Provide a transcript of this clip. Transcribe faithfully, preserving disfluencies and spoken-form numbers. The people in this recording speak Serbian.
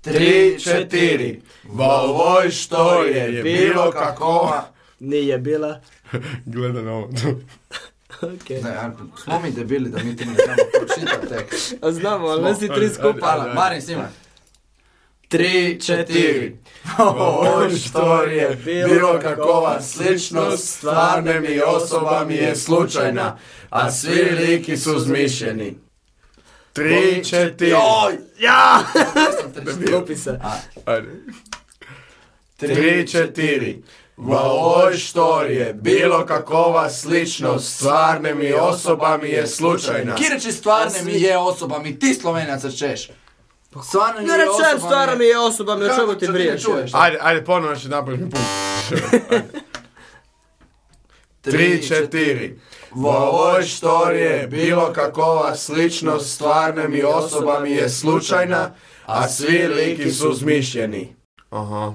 Tri, četiri. V ovoj štoriji je bilo kakova... Nije bila. Gleda na ovo. Okay. Ne, a, smo mi debili da mi ti ne znamo pročitati tekst. A znamo, ali ne si tri skupa. Hvala, Marin, snimaj. Tri, četiri. V ovoj štoriji je bilo kakova sličnost, stvarnim i osobami je slučajna, a svi liki su zmišljeni. Tri, četiri. Joj! Ja! Skupi se. Ajde. Tri, četiri. V ovoj štoriji je bilo kakova sličnost, stvarnim i osobami je slučajna. Kireći stvarnim i je osobami, ti Slovenaca češ. Stvarnim Ne je rečem osobami... stvarno mi je osobami, o čemu ti Kako briješ? čuješ? Ajde, ajde, ponovno ću napraviti mi put. Tri, četiri. V ovoj štoriji je bilo kakova sličnost, stvarnim i osobami je slučajna, a svi liki su zmišljeni. Aha.